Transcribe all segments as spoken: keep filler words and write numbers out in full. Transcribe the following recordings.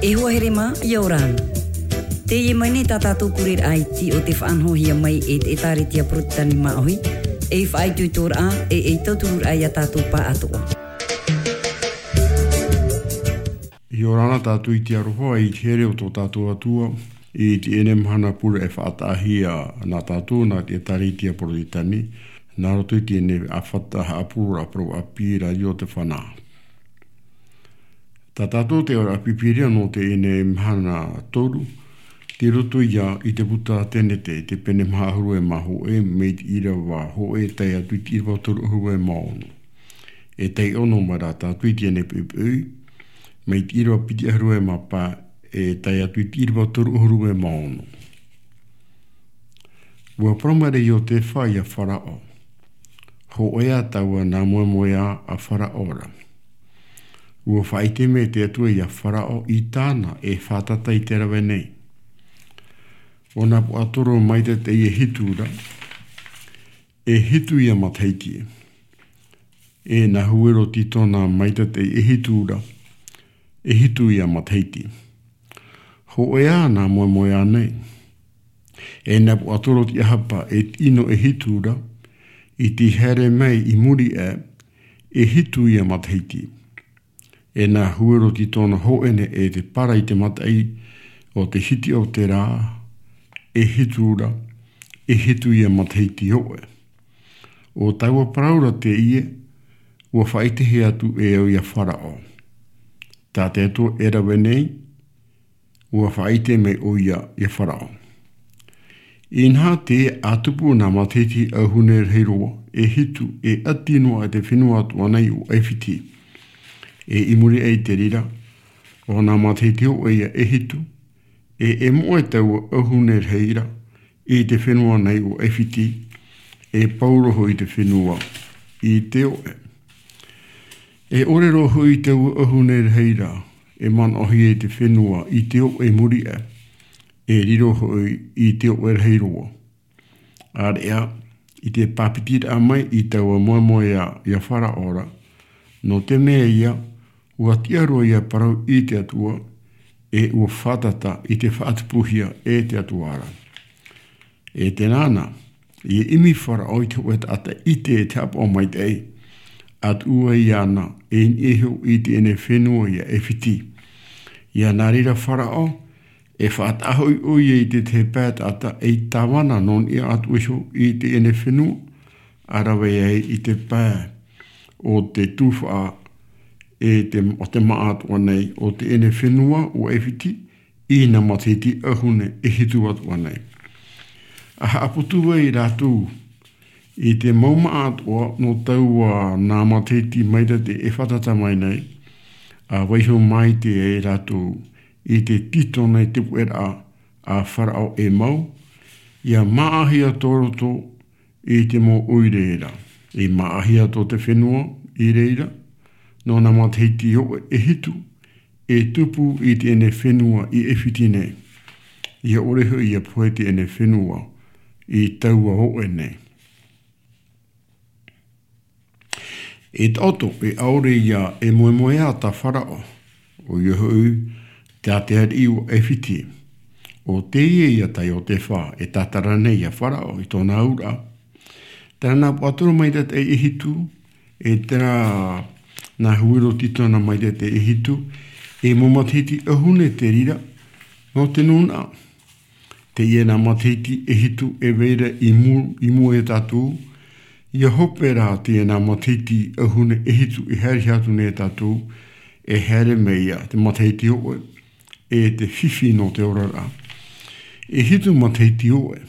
E hoa here mā, ʻia ora na. Teie mai nei tā tātou pureraʻa iti o te faʻanahohia mai e te ʻĒtārētia Porotetani Māʻohi, ei faʻaitoitoraʻa, e ei tauturuʻraʻa ia tātou pāʻatoʻa. ʻIa ora na tātou iti aroha i te here o tō tātou Atua, i teie mahana pure e faʻataʻahia nā tātou nā te ʻĒtārētia Porotetani, nā roto i teie ʻāfata haʻapuroroʻa parau ʻāpī Rārio Te Fana. Tā tātou te auraʻa Pīpīria nō teie mahana toru, tei roto ia i te puta Tenete, te pene maha ʻahuru e mā hōʻē, mai te ʻīrava hōʻē tae atu i te ʻīrava toru ʻahuru e mā ono. E taiʻo noa mai rā tātou i teie poʻipoʻi, mai te ʻīrava piti ʻahuru e mā pae, e tae atu i te ʻīrava toru ʻahuru e mā ono. ʻUa parau maira Iotefa ia Faraō: Hōʻē ā taua nā moemoeā a Faraō ra. ʻUa faʻaʻite mai te Atua ia Faraō i tāna e fātata i te rave nei. ʻO nā puaʻatoro maitaʻi e hitu ra, e hitu ia matahiti. E nā huero tītona maitaʻi e hitu ra, e hitu ia matahiti. Hōʻē ā nā moemoeā nei. E nā puaʻatoro tiʻahapa e tino e hitu ra, i te haere mai i muri aʻe, e hitu ia matahiti. E nā huero tītona hōʻē nei e te para i te mataʻi o te hiti o te rā, e hitu ra, e hitu ia matahiti hōʻē. ʻO taua parau ra teie, ʻua faʻaʻitehia atu e au ia Faraō. Tā te Atua e rave nei, ʻua faʻaʻite mai ʻoia ia Faraō. Inaha, tē tupu nā matahiti ʻauhune rahi roa, e hitu, e ʻati noa i te fenua atoʻa nei o ʻAifiti. E i muri aʻe i te reira, ʻo nā matahiti hōʻē ia e hitu, e, e moʻe taua ʻauhune rahi ra, i te fenua nei o ʻAifiti, e pau roa hoʻi te fenua i te oʻe. E ʻore roa hoʻi taua ʻauhune rahi ra, e manaʻohia i te fenua i te oʻe i muri aʻe, e riro hoʻi i te oʻe rahi roa. ʻĀreʻa, i te pāpitiraʻa mai i taua moemoeā ia Faraō ra, nō te mea ia, ʻua tiʻa roa ia parau i te Atua, e ʻua fātata i te faʻatupuhia e te Atua ra. E tēnā na, ʻia ʻimi Faraō i te hōʻē taʻata ʻite e te haʻapaʻo maitaʻi, ʻa tuʻu ai iāna, e niʻa iho i teie fenua ia ʻAifiti. ʻIa nā reira Faraō, e faʻataʻa hoʻi ʻoia i te tahi pae taʻata ei tāvana nō niʻa atu iho i teie fenua, ʻa rave ai i te pae o te tufaʻa e te, o te māʻa atoʻa nei o teie fenua o ʻAifiti, i nā matahiti ʻauhune e hitu atoʻa nei. ʻA haʻaputu ai rātou i te mau māʻa atoʻa nō taua nā matahiti maitaʻi e fātata mai nei, ʻa vaiiho maitaʻi ai rātou i te tītona i te puʻeraʻa a Faraō e mau, ʻia māʻahia tō roto i te mau ʻoire ra. E māʻahia tō te fenua i reira, nō nā matahiti hōʻē e hitu, e tupu i teie fenua i ʻAifiti nei. ʻIa ʻore hoʻi ʻia pohe teie fenua i taua hōʻē nei. E taʻoto, e ʻaore ia e moemoeā tā Faraō, ʻoia hoʻi, tā te ariʻi o ʻAifiti. ʻO teie ia tā Iotefa, e tātara nei ia Faraō i tōna auraʻa. Terā nā puaʻatoro maitaʻi e hitu, e terā nā huero tītona maitaʻi e hitu, e mau matahiti ʻauhune te reira, nō te nūnaʻa. Teie nā matahiti e hitu e vai ra i mū-, i mua ia tātou, ʻia hope rā teie nā matahiti ʻauhune e hitu e haere atu nei ia tātou, e haere mai ia te matahiti hōʻē, e te fifi nō te oraraʻa. E hitu matahiti hōʻē,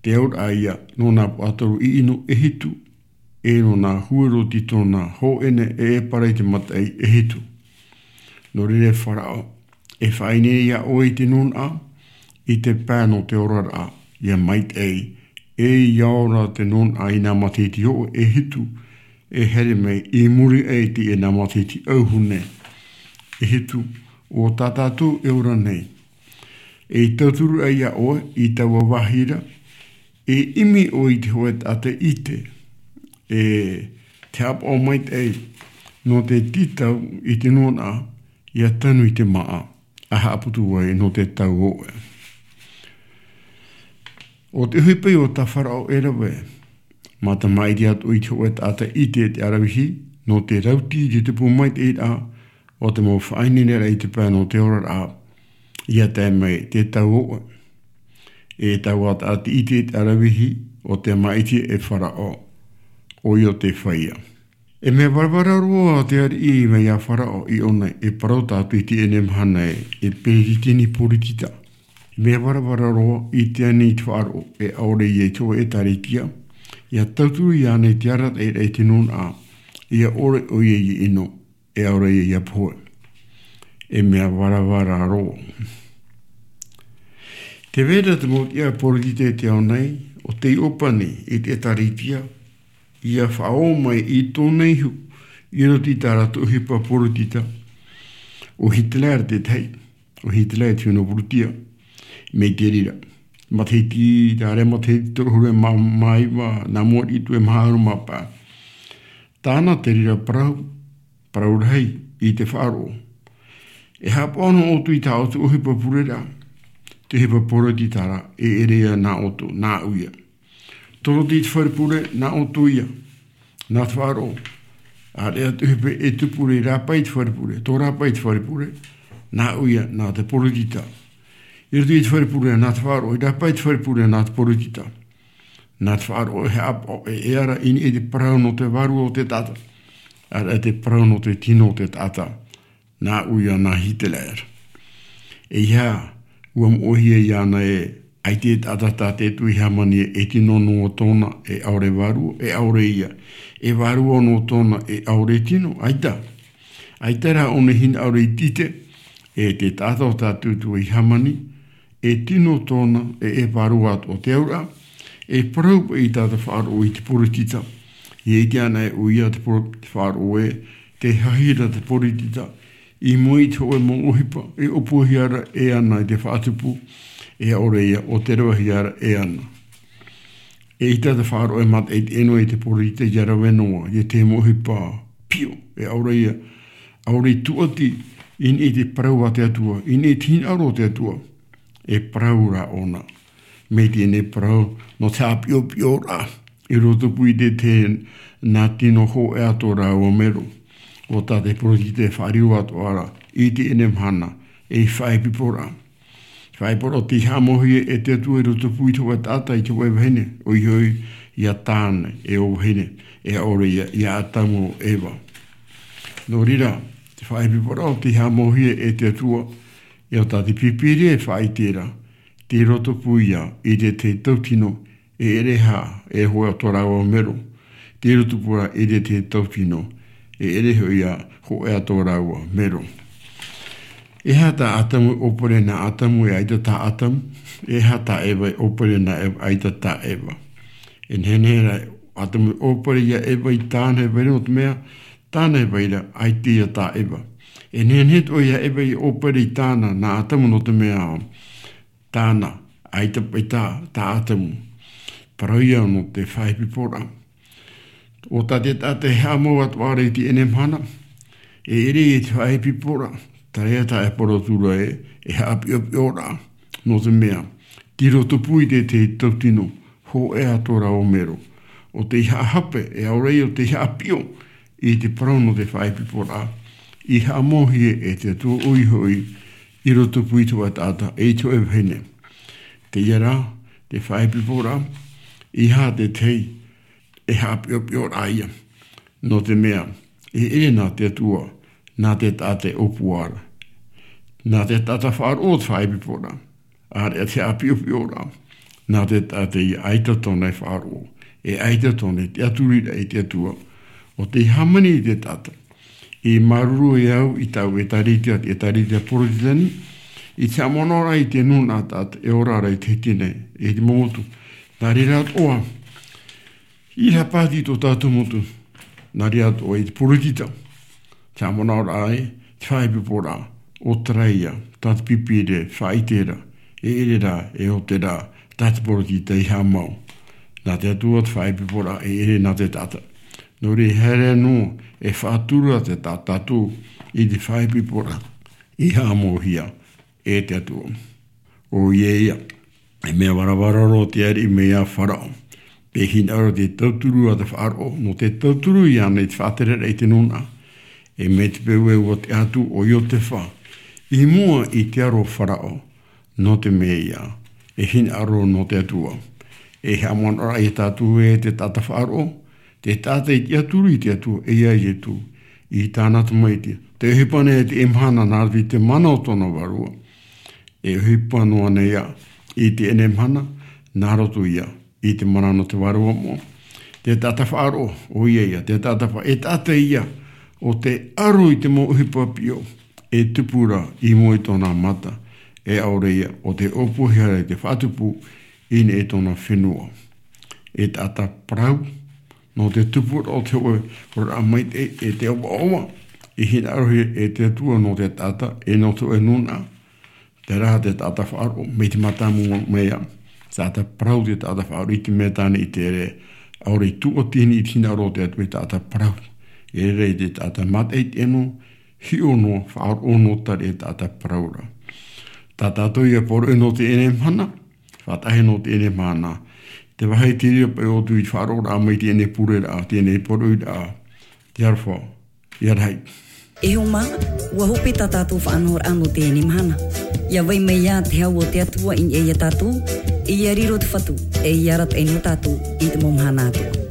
te auraʻa ia nō nā puaʻatoro ʻino e hitu, e nō nā huero tītona hōʻē nei e, e para i te mataʻi e hitu. Nō reira Faraō, e faʻaineine ia ʻoe i te nūnaʻa, i te pae nō te oraraʻa, ʻia maitaʻi, e ʻia ora te nūnaʻa i nā matahiti hōʻē e hitu, e haere mai i muri aʻe i teie nā matahiti ʻauhune e hitu, ʻo tā tātou e ora nei. E tauturu ai ia ʻoe i taua vāhi ra, e ʻimi ʻoe i te hōʻē taʻata ʻite, e te haʻapaʻo maitaʻi, nō te tītau i te nūnaʻa, ia tanu i te māʻa, a haʻaputu ai nō te tau ʻoʻe. ʻO te ʻohipa ïa o tā Faraō e rave, mā te māʻiti atoʻa i te hōʻē taʻata ʻite te ʻaravihi, nō te rauti i te tupu maitaʻi ra, ʻo te mau faʻaineineraʻa i te pae nō te oraraʻa, ia tae mai te tau ʻoʻe. E taua taʻata ʻite te ʻaravihi, ʻo te māʻiti e Faraō, ʻoia ʻo te feiā. E mea varavara roa te ariʻi mai iā Faraō i ʻō nei, e parau tātou i teie mahana ē, e peretiteni poritita. E mea varavara roa i te ani i te faʻaroʻo, e ʻaore ïa i te hōʻē ʻēkālesia, ia tauturu iāna i te arataʻiraʻa i te nūnaʻa, ia ʻore ʻoia i ʻino, e ʻaore ïa ia pohe. E mea varavara roa. Tē vai ra te mau tiʻa poritita i te ao nei, ʻo tei ʻōpani i te ʻēkālesia, ia faʻaō mai i tōna ihu, i roto i tā rātou ʻohipa poritita. ʻO Hitler te tahi, ʻo Hitler te huru Pūrūtia, mai te reira. Matahiti, te ʻārea matahiti toru ʻahuru mā, mā iva, nā mua atu e maha ʻahuru mā pae. Tāna te reira parau, parau rahi i te faʻaroʻo. E haʻapaʻo noa ʻoutou i tā ʻoutou ʻohipa pureraʻa, te ʻohipa poritita ra, e ʻere ïa nā ʻoutou, nāʻu ïa. Tō roto i te fare pure, nā ʻoutou ïa, nā te faʻaroʻo. ʻĀreʻa te ʻohipa e tupu ra i rāpae i te fare pure, tō rāpae i te fare pure, nāʻu ïa, nā te poritita. I roto i te fare pure, nā te faʻaroʻo, i rāpae i te fare pure, nā te poritita. Nā te faʻaroʻo e haʻapaʻo e, e ara i niʻa i te parau nō te vārua o te taʻata. ʻĀreʻa te parau nō te tino o te taʻata. Nāʻu ïa nā Hitler. ʻEiaha, ʻua moʻehia iāna ē, ʻaita e taʻata tā te Atua i hāmani e tino noa tōna e ʻaore vārua, e ʻaore ïa. E vārua noa tōna e ʻaore tino, ʻaita. ʻAita rā ʻōna e hinaʻaro i te ʻite, e te taʻata o tā te Atua i hāmani, e tino tōna, e, e vārua atoʻa te auraʻa, e parau paʻi tā te faʻaroʻo i te poritita. ʻIa ʻite ana ē ʻoia te poro-, te faʻaroʻo ē, tē hahi ra te poritita, i mua i te hōʻē mau ʻohipa, e ʻōpuahia ra e ana i te faʻatupu, e ʻaore ïa ʻo te ravehia ra e ana. ʻEita te faʻaroʻo e mataʻi teie noa i te poritita ʻia rave noa, ʻia te mau ʻohipa piʻo, e ʻaore ïa, ʻaore i tūʻati, i niʻa i te parau a te Atua, i niʻa i te hinaʻaro o te Atua, e parau ra ʻōna. Mai teie parau, nō te haʻapiʻopiʻoraʻa, i rotopū i te tahi nā tino hōʻē atoʻa rāua mero. ʻO tā te poritita e faʻariro atoʻa ra, i teie mahana, ei faʻaipoiporaʻa. Faʻaipoiporaʻa tei haʻamauhia e te Atua i rotopū i te hōʻē taʻata, i te hōʻē vahine, ʻoia hoʻi, iā Tāne, e ʻo vahine, e ʻaore ïa, iā Atamu ʻo Eva. Nō reira, te faʻaipoiporaʻa tei haʻamauhia e te Atua, e ʻo tā te Pīpīria e faʻaʻite ra, tei rotopū ïa i te tahi tautino, e ʻere hā, e hōʻē atoʻa rāua mero. Tei rotopū ra i te tahi tautino, e ʻere hoʻi ïa hōʻē atoʻa rāua mero. E aha tā Atamu e ʻōpere nā Atamu, e ʻaita tā Atamu, e aha tā Eva e ʻōpere nā Eva, ʻaita tā Eva. E nehenehe rā Atamu e ʻōpere iā Eva i tāna e vai ra nō te mea, tāna e vai ra, ʻaita ïa tā Eva. E nehenehe atoʻa iā Eva e ʻōpere i tāna, nā Atamu nō te mea, tāna, ʻaita paʻi tā, tā Atamu. Parau ïa nō te faʻaipoiporaʻa. ʻO tā te taʻata e haʻamau atoʻa ra i teie mahana, e ʻere i te faʻaipoiporaʻa, terā ïa tā e parau atu ra ē, e haʻapiʻopiʻoraʻa, nō te mea, tei rotopū i te tahi tautino, hōʻē atoʻa rāua mero. ʻO tei haʻahape, e ʻaore ïa ʻo tei haʻapiʻo, i te parau nō te faʻaipoiporaʻa, i haʻamauhia e te Atua ʻoia hoʻi, i rotopū i te hōʻē taʻata, e i te hōʻē vahine. Teie rā, te faʻaipoiporaʻa, e aha te tahi, e haʻapiʻopiʻoraʻa ïa. Nō te mea, e ʻere nā te Atua, nā te taʻata e ʻōpua ra. Nā te taʻata faʻaroʻo te faʻaipoiporaʻa. ʻĀreʻa te haʻapiʻopiʻoraʻa, nā te taʻata ïa ʻaita tōna e faʻaroʻo, e ʻaita tōna e tiʻaturi ra i te Atua, ʻo tei hāmani i te taʻata. E māuruuru au i tāʻu ʻēkālesia, ʻēkālesia Porotetani, i te haʻamanaʻo ra i te nūnaʻa taʻata e ora ra i te hiti nei, i te mau motu. Nā reira atoʻa, ʻīrava pāti tō tātou motu, nā reira atoʻa i te poritita, te haʻamanaʻoraʻa ē, te faʻaipoiporaʻa, ʻo terā ïa, tā te Pīpīria e faʻaʻite ra, e ʻere rā, e ʻo terā, tā te poritita i haʻamau. Nā te Atua te faʻaipoiporaʻa, e ʻere nā te taʻata. Nō reira, e haere noa, e faʻaturu ra te tā-, tātou, i te faʻaipoiporaʻa. i haʻamauhia e te Atua. ʻOia ia, e mea varavara roa te ariʻi mai iā Farao. Te hinaʻaro te tauturu a te faʻaroʻo, nō te tauturu iāna i te faʻatereraʻa i te nūnaʻa. E mai te peu e ua te atu ʻo Iotefa i mua i te aro o Farao, nō te mea ia, e hinaʻaro nō te Atua. E haʻamanaʻo ra ia tātou e te taʻata faʻaroʻo, te taʻata i tiʻaturi i te Atua, e iā Ietu, i tāna tamaiti. Te ʻohipa nei e te mahana nā roto i te mana o tōna vārua. E ʻohipa noa nei ia, i teie mahana, nā roto ia, i te mana nō te vārua moʻa. Te taʻata faʻaroʻo, ʻoia ia, te taʻata fa-, e taʻata ia, ʻo te aro i te mau ʻohipa piʻo, e tupu ra i mua i tōna mata, e ʻaore ia, ʻo te ʻōpuahia ra i te faʻatupu, i niʻa i tōna fenua. E taʻata parau, nō te tupu ra o te hōʻē oraraʻa maitaʻi, e te ʻoaʻoa, i hinaʻarohia e te Atua nō te taʻata, e nō te hōʻē nūnaʻa, terā te taʻata faʻaroʻo, mai te mātāmua mai ia, taʻata parau te taʻata faʻaroʻo i te mea tāna i te ere, ʻaore i tuʻatihia i te hinaʻaro o te Atua i taʻata parau. E rere i te taʻata mātaʻitaʻi noa, hiʻo noa, faʻaroʻo noa tari e taʻata parau ra. Tā tātou ia poroʻi nō teie mahana, faʻatahi nō teie mahana. Te vāhi te reira paʻi ʻoutou i te faʻaroʻoraʻa mai teie pureraʻa, teie poroʻiraʻa, te aroha, ia rahi. E hoa mā, ua hope tā tātou faʻanahoraʻa nō teie mahana. Ia vai mai ia te hau o te Atua i niʻa ia tātou, e ia riro te Fatu, e ia arataʻi nō tātou i te mau mahana atoʻa.